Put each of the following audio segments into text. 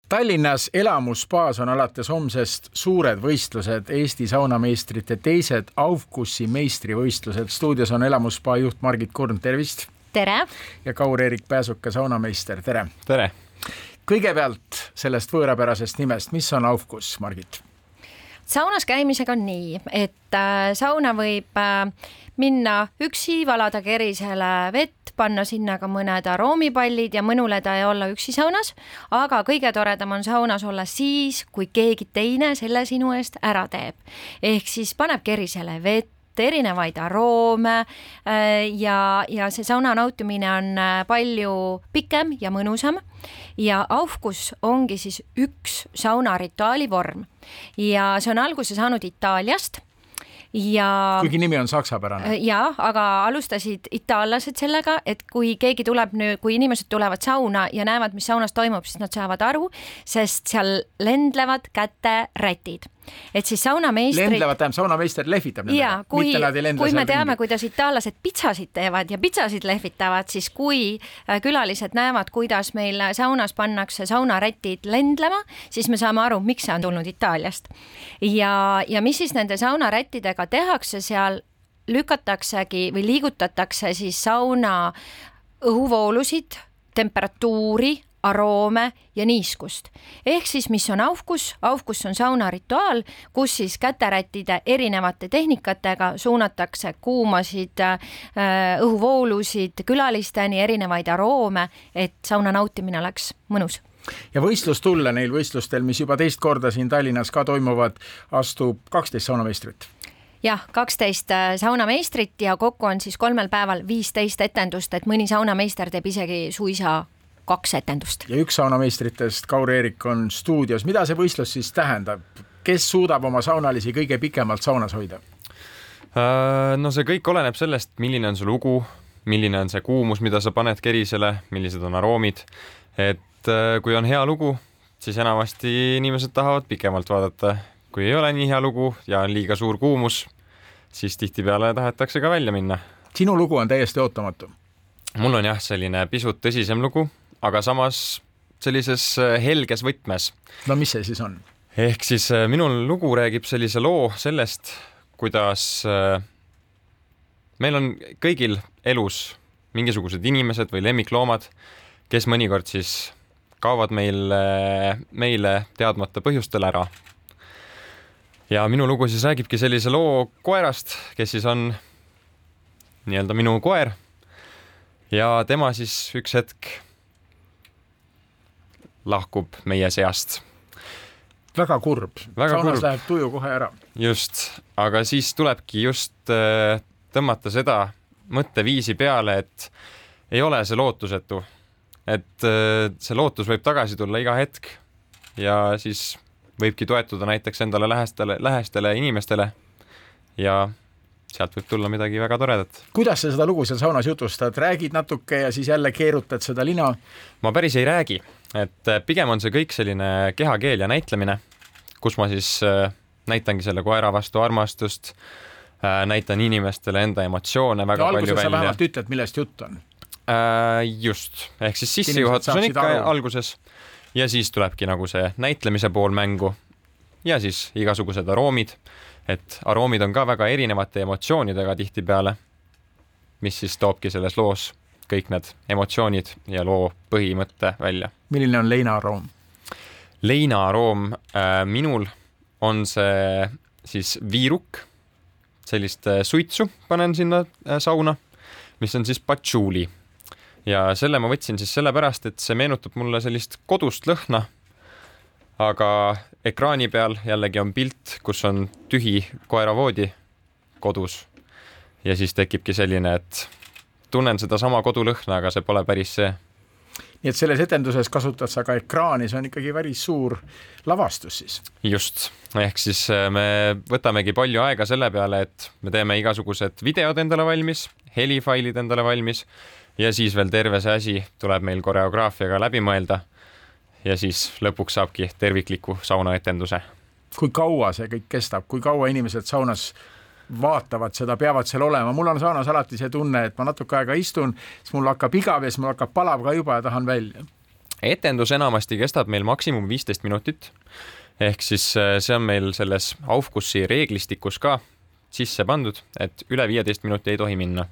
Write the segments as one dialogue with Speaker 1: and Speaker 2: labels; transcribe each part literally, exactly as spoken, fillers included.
Speaker 1: Tallinnas Elamusspaas on alates homsest suured võistlused, Eesti saunameistrite teised Aufgussi meistrivõistlused. Stuudios on Elamusspa juht Margit Kurn, tervist!
Speaker 2: Tere!
Speaker 1: Ja Kaur-Erik Pääsuke, saunameister, tere!
Speaker 3: Tere!
Speaker 1: Kõigepealt sellest võõrapärasest nimest, mis on Aufguss, Margit?
Speaker 2: Saunas käimisega on nii, et sauna võib minna üksi, valada kerisele vett, panna sinna ka mõned aroomipallid ja mõnuleda ja olla üksi saunas, aga kõige toredam on saunas olla siis, kui keegi teine selle sinu eest ära teeb. Ehk siis paneb kerisele vett, erinevaid aroome ja, ja see sauna nautimine on palju pikem ja mõnusam ja Aufguss ongi siis üks saunarituaali vorm ja see on alguse saanud Itaaliast. Ja,
Speaker 1: kuigi nimi on saksapärane.
Speaker 2: Ja, aga alustasid itaallased sellega, et kui keegi tuleb nüüd, kui inimesed tulevad sauna ja näevad, mis saunas toimub, siis nad saavad aru, sest seal lendlevad käte rätid. Et siis saunameistrid...
Speaker 1: Lendlevad, tähendab, saunameister lehvitab nendega.
Speaker 2: Ja, kui, kui me teame,
Speaker 1: ringi.
Speaker 2: Kuidas itaallased pitsasid teevad ja pitsasid lehvitavad, siis kui külalised näevad, kuidas meil saunas pannakse saunarätid lendlema, siis me saame aru, miks see on tulnud Itaaliast. Ja, ja mis siis nende saunarättidega tehakse, seal lükataksegi või liigutatakse siis sauna õhuvoolusid, temperatuuri, aroome ja niiskust. Ehk siis, mis on Aufguss? Aufguss on saunarituaal, kus siis käterättide erinevate tehnikatega suunatakse kuumasid õhuvoolusid külalisteni, erinevaid aroome, et sauna nautimine oleks mõnus.
Speaker 1: Ja võistlustulle neil võistlustel, mis juba teist korda siin Tallinnas ka toimuvad, astub kaksteist saunameistrit.
Speaker 2: Jah, kaksteist saunameistrit ja kokku on siis kolmel päeval viisteist etendust, et mõni saunameister teeb isegi suisa kaks etendust.
Speaker 1: Ja üks saunameistritest, Kaur-Erik, on stuudios. Mida see võistlus siis tähendab? Kes suudab oma saunalisi kõige pikemalt saunas hoida?
Speaker 3: No see kõik oleneb sellest, milline on su lugu, milline on see kuumus, mida sa paned kerisele, millised on aroomid. Et kui on hea lugu, siis enamasti inimesed tahavad pikemalt vaadata. Kui ei ole nii hea lugu ja on liiga suur kuumus, siis tihtipeale tahetakse ka välja minna.
Speaker 1: Sinu lugu on täiesti ootamatu.
Speaker 3: Mul on jah selline pisut tõsisem lugu, aga samas sellises helges võtmes.
Speaker 1: No mis see siis on?
Speaker 3: Ehk siis minul lugu räägib sellise loo sellest, kuidas meil on kõigil elus mingisugused inimesed või lemmikloomad, kes mõnikord siis kaovad meil, meile teadmata põhjustel ära. Ja minu lugu siis räägibki sellise loo koerast, kes siis on nii-öelda minu koer ja tema siis üks hetk lahkub meie seast.
Speaker 1: Väga kurb.
Speaker 3: Väga
Speaker 1: Saunas
Speaker 3: kurb.
Speaker 1: Läheb tuju kohe ära.
Speaker 3: Just, aga siis tulebki just äh, tõmmata seda mõtteviisi peale, et ei ole see lootusetu. Et äh, see lootus võib tagasi tulla iga hetk ja siis võibki toetuda näiteks endale lähestele, lähestele inimestele ja sealt võib tulla midagi väga toredat.
Speaker 1: Kuidas sa seda lugu seal saunas jutustad? Räägid natuke ja siis jälle keerutad seda lina?
Speaker 3: Ma päris ei räägi, et pigem on see kõik selline kehakeel ja näitlemine, kus ma siis näitangi selle koera vastu armastust, näitan inimestele enda emotsioone väga
Speaker 1: ja
Speaker 3: palju välja.
Speaker 1: Alguses sa vähemalt ütled, millest jutt on.
Speaker 3: Just, ehk siis sissejuhatus on ikka aru. Alguses ja siis tulebki nagu see näitlemise pool mängu ja siis igasugused aroomid. Et aroomid on ka väga erinevate emotsioonidega tihtipeale, mis siis toobki selles loos kõik need emotsioonid ja loo põhimõtte välja.
Speaker 1: Milline on leinaaroom?
Speaker 3: Leinaaroom äh, minul on see siis viiruk, sellist suitsu panen sinna äh, sauna, mis on siis patchouli. Ja selle ma võtsin siis sellepärast, et see meenutab mulle sellist kodust lõhna, aga ekraani peal jällegi on pilt, kus on tühi koeravoodi kodus. Ja siis tekibki selline, et tunnen seda sama kodulõhna, aga see pole päris see.
Speaker 1: Nii et selles etenduses kasutad sa ka ekraani, see on ikkagi päris suur lavastus siis.
Speaker 3: Just, ehk siis me võtamegi palju aega selle peale, et me teeme igasugused videod endale valmis, helifailid endale valmis ja siis veel terve see asi tuleb meil koreograafiaga läbi mõelda. Ja siis lõpuks saabki tervikliku saunaetenduse.
Speaker 1: Kui kaua see kõik kestab? Kui kaua inimesed saunas vaatavad seda, peavad seal olema? Mul on saunas alati see tunne, et ma natuke aega istun, siis mul hakkab igav ja siis mul hakkab palav ka juba ja tahan välja.
Speaker 3: etendus enamasti kestab meil maksimum viisteist minutit, ehk siis see on meil selles Aufgussi reeglistikus ka sisse pandud, et üle viieteist minuti ei tohi minna.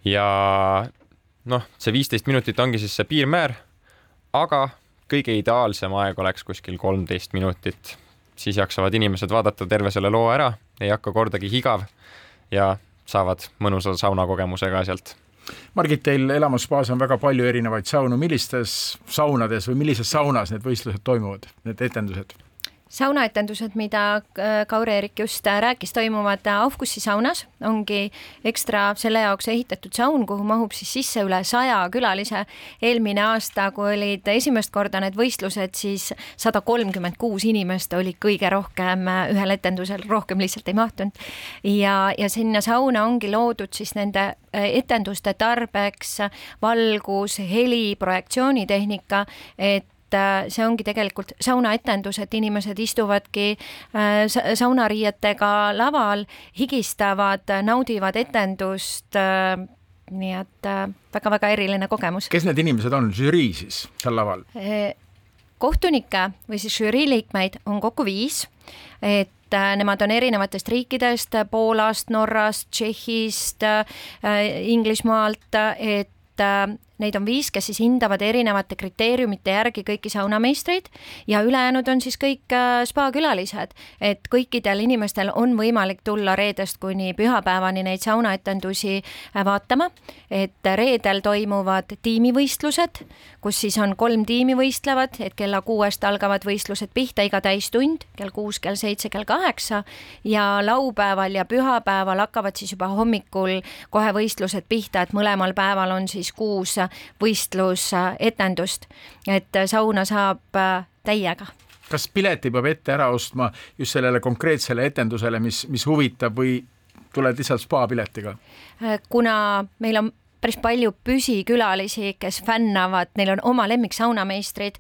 Speaker 3: Ja noh, see viisteist minutit ongi siis see piirmäär, aga kõige ideaalsem aeg oleks kuskil kolmteist minutit. Siis jaksavad inimesed vaadata terve selle loo ära, ei hakka kordagi higav ja saavad mõnusa saunakogemusega sealt.
Speaker 1: Margit, teil elamusspaas on väga palju erinevaid saunu. Millistes saunades või millises saunas need võistlused toimuvad, need etendused?
Speaker 2: Saunaetendused, mida Kaur-Erik just rääkis, toimuvad Aufgussi saunas, ongi ekstra selle jaoks ehitatud saun, kuhu mahub siis sisse üle saja külalise. Eelmine aasta, kui olid esimest korda need võistlused, siis sada kolmkümmend kuus inimest oli kõige rohkem ühel etendusel, rohkem lihtsalt ei mahtunud. Ja, ja sinna sauna ongi loodud siis nende etenduste tarbeks valgus, heli, projektsioonitehnika, et see ongi tegelikult saunaetendus, et inimesed istuvadki saunariietega laval, higistavad, naudivad etendust, nii et väga-väga eriline kogemus.
Speaker 1: Kes need inimesed on? Žürii siis seal laval?
Speaker 2: Kohtunikke või siis žürii liikmeid on kokku viis, et nemad on erinevatest riikidest, Poolast, Norrast, Tšehhist, Inglismaalt, et neid on viis, kes siis hindavad erinevate kriteeriumite järgi kõiki saunameistreid ja ülejäänud on siis kõik spa-külalised, et kõikidel inimestel on võimalik tulla reedest kuni pühapäevani neid saunaetendusi vaatama, et reedel toimuvad tiimivõistlused, kus siis on kolm tiimi võistlevad, et kella kuuest algavad võistlused pihta iga täistund, kell kuus, kell seitse, kell kaheksa ja laupäeval ja pühapäeval hakkavad siis juba hommikul kohe võistlused pihta, et mõlemal päeval on siis kuus võistlusetendust, et sauna saab täiega.
Speaker 1: Kas pileti peab ette ära ostma just sellele konkreetsele etendusele, mis, mis huvitab või tuled lihtsalt spa piletiga?
Speaker 2: Kuna meil on päris palju püsikülalisi, kes fännavad, neil on oma lemmik saunameistrid,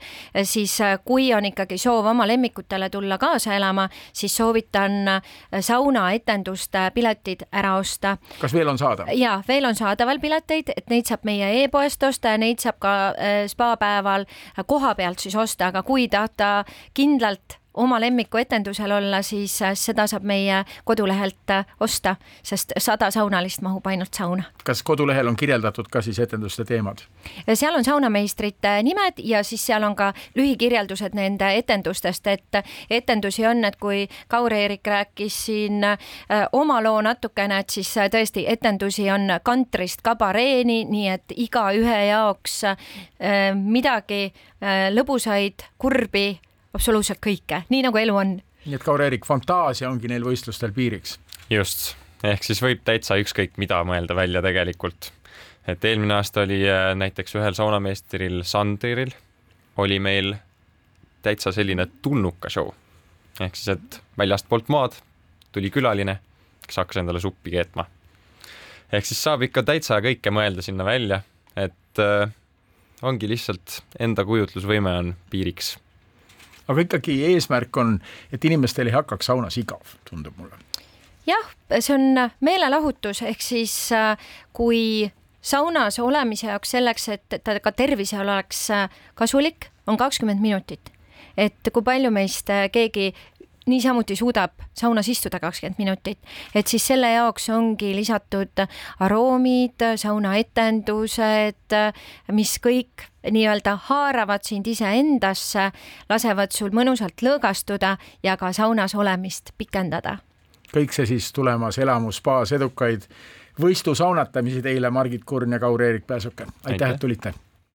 Speaker 2: siis kui on ikkagi soov oma lemmikutele tulla kaasa elama, siis soovitan saunaetenduste piletid ära osta.
Speaker 1: Kas veel on saada?
Speaker 2: Jaa, veel on saadaval pileteid, et neid saab meie e-poest osta ja neid saab ka spa-päeval koha pealt siis osta, aga kui tahta kindlalt oma lemmiku etendusel olla, siis seda saab meie kodulehelt osta, sest sada saunalist mahub ainult sauna.
Speaker 1: Kas kodulehel on kirjeldatud ka siis etenduste teemad?
Speaker 2: Seal on saunameistrite nimed ja siis seal on ka lühikirjeldused nende etendustest, et etendusi on, et kui Kaur-Erik rääkis siin oma loo natukene, et siis tõesti etendusi on kantrist kabareeni, nii et iga ühe jaoks midagi lõbusaid, kurbi, absoluutselt kõike, nii nagu elu on.
Speaker 1: Nii et Kaur-Erik, fantaasia ongi neil võistlustel piiriks.
Speaker 3: Just, ehk siis võib täitsa ükskõik mida mõelda välja tegelikult. Et eelmine aasta oli näiteks ühel saunameistril Sandril oli meil täitsa selline tulnuka show. Ehk siis, et väljast poolt maad tuli külaline, kes hakkas endale suppi keetma. Ehk siis saab ikka täitsa kõike mõelda sinna välja, et äh, ongi lihtsalt enda kujutlusvõime on piiriks.
Speaker 1: Aga ikkagi eesmärk on, et inimestel ei hakkaks saunas igav, tundub mulle.
Speaker 2: Jah, see on meelelahutus, ehk siis kui saunas olemise jaoks selleks, et ta ka tervisel oleks kasulik, on kakskümmend minutit. Et kui palju meist keegi niisamuti suudab saunas istuda kakskümmend minutit, et siis selle jaoks ongi lisatud aroomid, saunaetendused, mis kõik nii-öelda haaravad sind ise endasse, lasevad sul mõnusalt lõõgastuda ja ka saunas olemist pikendada.
Speaker 1: Kõik see siis tulemas elamusspaas, edukaid võistlusaunatamisi teile, Margit Kurn ja Kaur-Erik Pääsuke. Aitäh, et tulite!